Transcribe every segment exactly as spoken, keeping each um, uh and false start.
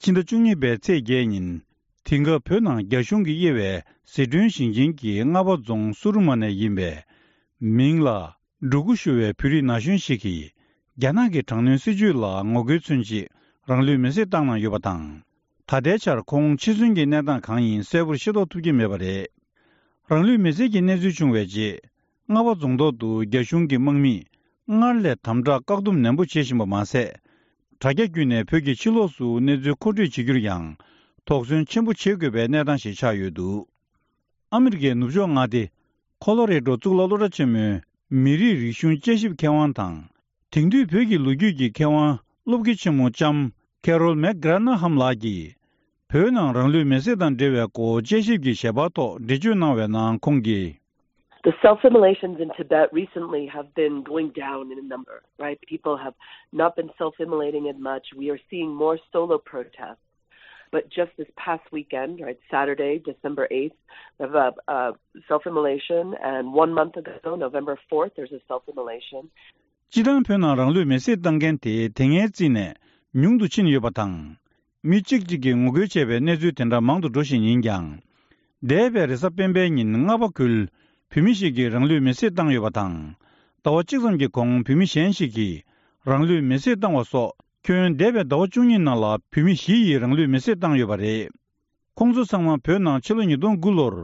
ཕྱི་ཟླ་བཅུ་གཉིས་པའི་ཚེས་བརྒྱད་ཉིན། དེང་སྐབས་བོད་ནང་རྒྱ་གཞུང་གིས་དབྱེ་བའི་ཟི་ཁྲོན་ཞིང་ཆེན་གྱི་རྔ་བ་རྫོང་སུ་རུ་མ་ནས་ཡིན་པའི་མིང་ལ་འབྲུ་གུ་ཞུ་བའི་བོད་རིགས་ན་གཞོན་ཞིག་གིས། རྒྱ་ནག་གི་དྲག་གནོན་སྲིད་བྱུས་ལ་ངོ་རྒོལ་མཚོན་ཆེད་རང་ལུས་མེར་སྲེག་བཏང་གནང་ཡོད་པ་དང་། ད་ལྟའི་ཆར་ཁོང་འཆི་གསོན་གྱི་གནས་སྟངས་གང་ཡིན་གསལ་པོར་ཤེས་རྟོགས་ཐུབ་ཀྱི་མེད་པ་རེད། རང་ལུས་མེར་སྲེག་གི་གནས་ཚུལ་བྱུང་བའི་རྗེས། རྔ་བ་རྫོང་ཐོག་ཏུ་རྒྱ་གཞུང་གི་དམག་མིས་སྔར་ལས་དམ་དྲག་བཀག་སྡོམ་ནན་པོ་བྱེད་བཞིན་པ་མ་ཟད། དྲ་རྒྱ་བརྒྱུད་ནས་བོད་ཀྱི་ཕྱི་ལོགས་སུ་གནས་ཚུལ་མཁོ་སྤྲོད་བྱེད་རྒྱུར་ཡང་དོགས་ཟོན་ཆེན་པོ་བྱེད་དགོས་པའི་གནས་སྟངས་ཤིག་ཆགས་ཡོད་འདུག། ཨ་མི་རི་ཀའི་ནུབ་ཕྱོགས་མངའ་སྡེ་ཁོ་ལོ་རེ་ཌོ་གཙུག་ལག་སློབ་གྲྭ་ཆེན་མོའི་མི་རིགས་རིག་གཞུང་དཔྱད་ཞིབ་མཁས་དབང་དང་། དེང་དུས་བོད་ཀྱི་ལོ་རྒྱུས་ཀྱི་མཁས་དབང་སློབ་དགེ་ཆེན་མོ་ལྕམ་ཁེ་རོལ་མེག་གྷ་ར་ན་ཧམ་ལགས་ཀྱིས། བོད་ནང་རང་ལུས་མེར་སྲེག་དང་འབྲེལ་བའི་སྐོར་དཔྱད་ཞིབ་ཀྱི་ཞལ་པར་ཐོག་འགྲེལ་བརྗོད་གནང་བའི་ནང་ཁོང་གིས། The self-immolations in Tibet recently have been going down in number, right? People have not been self-immolating as much. We are seeing more solo protests. But just this past weekend, right, Saturday, December eighth, we have a, a self-immolation, and one month ago, November fourth, there's a self-immolation. སྤྱིར་བཏང་བོད་ནང་རང་ལུས་མེར་སྲེག་བཏང་མཁན་དེ་དེ་སྔའི་རྩིས་ནས་ཉུང་དུ་ཕྱིན་ཡོད་པ་དང་། མི་གཅིག་གཅིག་གིས་ངོ་རྒོལ་བྱས་པའི་གནས་ཚུལ་དེ་འདྲ་མང་དུ་འགྲོ་བཞིན་ཡིན་ཀྱང་། འདས་པའི་རེས་གཟའ་སྤེན་པའི་ཉིན་རྔ་བ་ཁུལ་བོད་མི་ཞིག་གིས་རང་ལུས་མེར་སྲེག་བཏང་ཡོད་པ་དང་། ཟླ་བ་གཅིག་ཙམ་གྱི་གོང་བོད་མི་གཞན་ཞིག་གིས་རང་ལུས་མེར་སྲེག་བཏང་བ་སོགས་ཁྱོན་འདས་པའི་ཟླ་བ་བཅུ་གཉིས་ནང་ལ་བོད་མི་བཞི་ཡིས་རང་ལུས་མེར་སྲེག་བཏང་ཡོད་པ་རེད། ཁོང་ཚོ་ཚང་མ་བོད་ནང་ཕྱི་ལོ་ཉིས་སྟོང་དགུ་ལོར་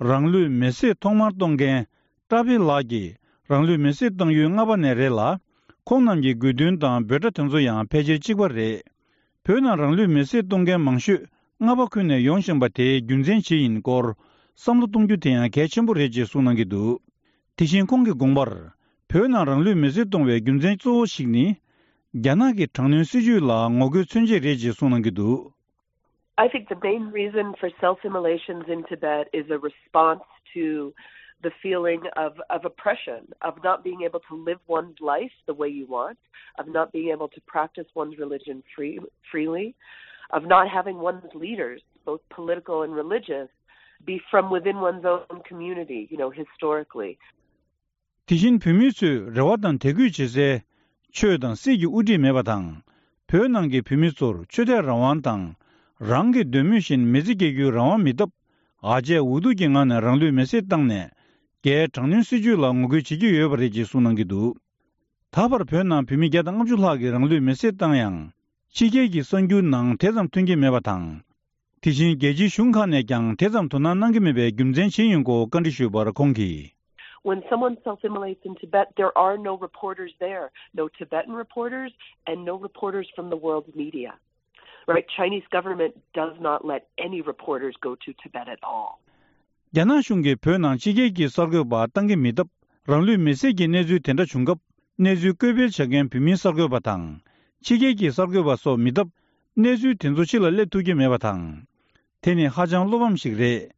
རང་ལུས་མེར་སྲེག་ཐོག་མར་གཏོང་མཁན་ཀྲ་པི་ལགས་ཀྱིས་རང་ལུས་མེར་སྲེག་བཏང་ཡུལ་རྔ་བ་ནས་རེད་ལ། ཁོང་རྣམས་ཀྱི་དགོས་འདུན་དང་འབོད་སྒྲ་དེ་ཚོ་ཡང་ཕལ་ཆེར་གཅིག་པ་རེད། བོད་ནང་རང་ལུས་མེར་སྲེག་གཏོང་མཁན་མང་ཤོས་རྔ་བ་ཁུལ་ནས་ཡོང་བཞིན་པ་དེའི་རྒྱུ་མཚན་ཇི་ཡིན་སྐོར་བསམ་བློ་གཏོང་རྒྱུ་དེ་ཡང་གལ་ཆེན་པོ་རེད་ཅེས་གསུངས་གནང་གི་འདུག། དེ་བཞིན་ཁོང་གི་དགོངས་པར། བོད་ནང་རང་ལུས་མེར་སྲེག་གཏོང་བའི་རྒྱུ་མཚན་གཙོ་བོ་ཞིག་ནི། རྒྱ་ནག་གི་དྲག་གནོན་སྲིད་བྱུས་ལ་ངོ་རྒོལ་མཚོན་ཆེད་རེད་ཅེས་གསུངས་གནང་གི་འདུག། I think the main reason for self immolations in Tibet is a response to the feeling of, of oppression, of not being able to live one's life the way you want, of not being able to practice one's religion free, freely, of not having one's leaders, both political and religious, be from within one's own community, you know, historically. དེ་བཞིན་བོད་མི་ཚོས་རེ་བ་དང་དད་གུས་བྱེད་སའི་ཆོས་དང་སྲིད་ཀྱི་དབུ་ཁྲིད་མེད་པ་དང་། བོད་ནང་གི་བོད་མི་ཚོར་ཆོས་དད་རང་དབང་དང་། རང་གི་འདོད་མོས་བཞིན་མི་ཚེ་སྐྱེལ་རྒྱུའི་རང་དབང་མེད་སྟབས། ཨ་ཅེ་འུ་ཐུག་གི་ངང་ནས་རང་ལུས་མེར་སྲེག་བཏང་ནས། རྒྱའི་དྲག་གནོན་སྲིད་བྱུས་ལ་ངོ་རྒོལ་བྱེད་ཀྱི་ཡོད་པ་རེད་ཅེས་གསུངས་གནང་གི་འདུག། ད་བར་བོད་ནང་བོད་མི་བརྒྱ་དང་ལྔ་བཅུ་ལྷག་གིས་རང་ལུས་མེར་སྲེག་བཏང་ཡང་། ཕྱི་རྒྱལ་གྱི་གསར་འགྱུར་ནང་དེ་ཙམ་ཐོན་གྱི་མེད་པ་དང་། དེ་བཞིན་རྒྱལ་སྤྱིའི་གཞུང་ཁག་ནས་ཀྱང་དེ་ཙམ་དོ་སྣང་གནང་གི་མེད་པའི་རྒྱུ་མཚན་ཇི་ཡིན་སྐོར་བཀའ་འདྲི་ཞུས་པར་ཁོང་གིས། When someone self immolates in Tibet, there are no reporters there, no Tibetan reporters, and no reporters from the world's media. Right? Chinese government does not let any reporters go to Tibet at all. རྒྱ་ནག་གཞུང་གིས་བོད་ནང་ཕྱི་རྒྱལ་གྱི་གསར་འགོད་པ་བཏང་གི་མེད་སྟབས། རང་ལུས་མེར་སྲེག་གི་གནས་ཚུལ་དེ་འདྲ་བྱུང་སྐབས། གནས་ཚུལ་བཀོད་སྤེལ་བྱ་མཁན་བོད་མིའི་གསར་འགོད་པ་དང་། ཕྱི་རྒྱལ་གྱི་གསར་འགོད་པ་སོགས་མི་སྟབས། གནས་ཚུལ་དེ་ཚོ་ཕྱི་ལ་སླེབས་ཐུབ་ཀྱི་མེད་པ་དང་། དེ་ནི་ཧ་ཅང་བློ་ཕམ་ཞིག་རེད།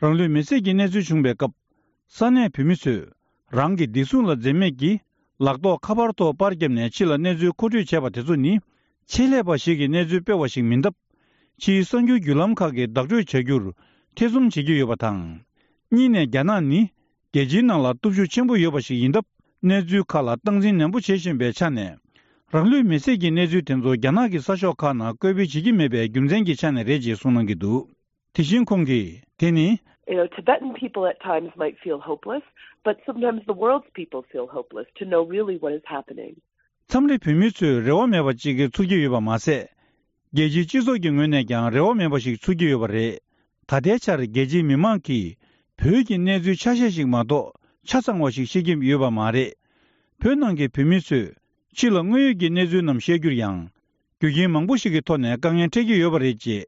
རང་ལུས་མེར་སྲེག་གི་གནས་ཚུལ་བྱུང་བའི་སྐབས། ས་གནས་བོད་མི་ཚོས་རང་གི་བདེ་སྲུང་ལ་འཛེམ་མེད་ཀྱིས་ལག་ཐོགས་ཁ་པར་ཐོག་པར་བརྒྱབ་ནས་ཕྱི་ལ་གནས་ཚུལ་མཁོ་སྤྲོད་བྱས་པ་དེ་ཚོ་ནི། ཆེད་ལས་པ་ཞིག་གིས་གནས་ཚུལ་སྤེལ་བ་ཞིག་མིན་སྟབས། ཕྱིའི་གསར་འགྱུར་བརྒྱུད་ལམ་ཁག་གིས་བདག་སྤྲོད་བྱ་རྒྱུར་ཐེ་ཚོམ་བྱེད་ཀྱི་ཡོད་པ་དང་། གཉིས་ནས་རྒྱ་ནག་ནི། རྒྱལ་སྤྱིའི་ནང་ལ་སྟོབས་ཤུགས་ཆེན་པོ་ཡོད་པ་ཞིག་ཡིན་སྟབས། གནས་ཚུལ་ཁག་ལ་སྟངས་འཛིན་ནན་པོ་བྱེད་བཞིན་པའི་ཆ་ནས། རང་ལུས་མེར་སྲེག་གི་གནས་ཚུལ་དེ་ཚོ་རྒྱ་ནག་གི་གསར་ཤོག་ཁག་ནང་བཀོད་སྤེལ་བྱེད་ཀྱི་མེད་པའི་རྒྱུ་མཚན་གྱི་ཆ་ནས་རེད་ཅེས་གསུངས་གནང་གི་འདུག། དེ་བཞིན་ཁོང་གིས་དེ་ནི། You know, Tibetan people at times might feel hopeless, but sometimes the world's people feel hopeless to know really what is happening. མཚམས་རེ་བོད་མི་ཚོས་རེ་བ་མེད་པ་ཅིག་ཚོར་གྱི་ཡོད་པ་མ་ཟད། རྒྱལ་སྤྱིའི་སྤྱི་ཚོགས་ཀྱི་ངོས་ནས་ཀྱང་རེ་བ་མེད་པ་ཞིག་ཚོར་གྱི་ཡོད་པ་རེད། ད་ལྟའི་ཆར་རྒྱལ་སྤྱིའི་མི་མང་གིས་བོད་ཀྱི་གནས་ཚུལ་ཆ་ཤས་ཤིག་མ་གཏོགས་ཆ་ཚང་བ་ཞིག་ཤེས་ཀྱི་ཡོད་པ་མ་རེད། བོད་ནང་གི་བོད་མི་ཚོས་ཕྱི་ལ་དངོས་ཡོད་ཀྱི་གནས་ཚུལ་རྣམས་བཤད་རྒྱུར་ཡང་། རྒྱུ་རྐྱེན་མང་པོ་ཞིག་གི་ཐོག་ནས་དཀའ་ངལ་འཕྲད་ཀྱི་ཡོད་པ་རེད་ཅེས།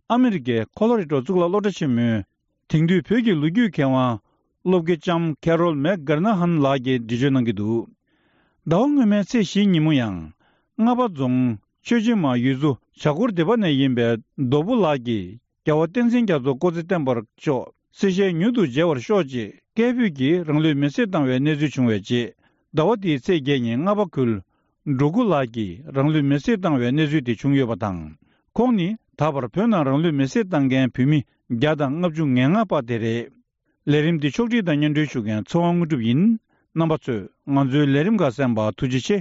ཨ་མི་རི་ཀའི་ཁོ་ལོ་རེ་ཌོ་གཙུག་ལག་སློབ་གྲྭ་ཆེན་མོའི་དེང་དུས་བོད་ཀྱི་ལོ་རྒྱུས་མཁས་དབང་སློབ་དགེ་ལྕམ་ཁེ་རོལ་མེག་གྷར་ན་ཧན་ལགས་ཀྱིས་འགྲེལ་བརྗོད་གནང་གི་འདུག། ཟླ་བ་སྔོན་མའི་ཚེས་བཞི་ཉིན་མོ་ཡང་། རྔ་པ་རྫོང་ཆོས་རྗེ་མ་ཡུལ་ཚོ་བྱ་འཁོར་སྡེ་པ་ནས་ཡིན་པའི་རྡོ་བུ་ལགས་ཀྱིས་རྒྱལ་བ་བསྟན་འཛིན་རྒྱ་མཚོ་སྐུ་ཚེ་བརྟན་པར་ཤོག། སྲིད་ཞལ་མྱུར་དུ་མཇལ་བར་ཤོག་ཅེས་སྐད་འབོད་ཀྱིས་རང་ལུས་མེར་སྲེག་བཏང་བའི་གནས་ཚུལ་བྱུང་བའི་རྗེས། ཟླ་བ་འདིའི་ཚེས་བརྒྱད་ཉིན་རྔ་པ་ཁུལ་འབྲོག་ཁུ་ལགས་ཀྱིས་རང་ལུས་མེར་སྲེག་བཏང་བའི་གནས་ཚུལ་དེ་བྱུང་ཡོད་པ་དང་། ཁོང་ནི་ད་བར་བོད་ནང་རང་ལུས་མེར་སྲེག་བཏང་མཁན་བོད་མི་བརྒྱ་དང་ལྔ་བཅུ་ང་ལྔ་པ་དེ་རེད། ལས་རིམ་འདི་ཕྱོགས་སྒྲིག་དང་སྙན་སྒྲོན་ཞུ་མཁན་ཚེ་དབང་དངོས་གྲུབ་ཡིན། རྣམ་པ་ཚོས་ང་ཚོའི་ལས་རིམ་ཁག་གསན་པར་ཐུགས་རྗེ་ཆེ།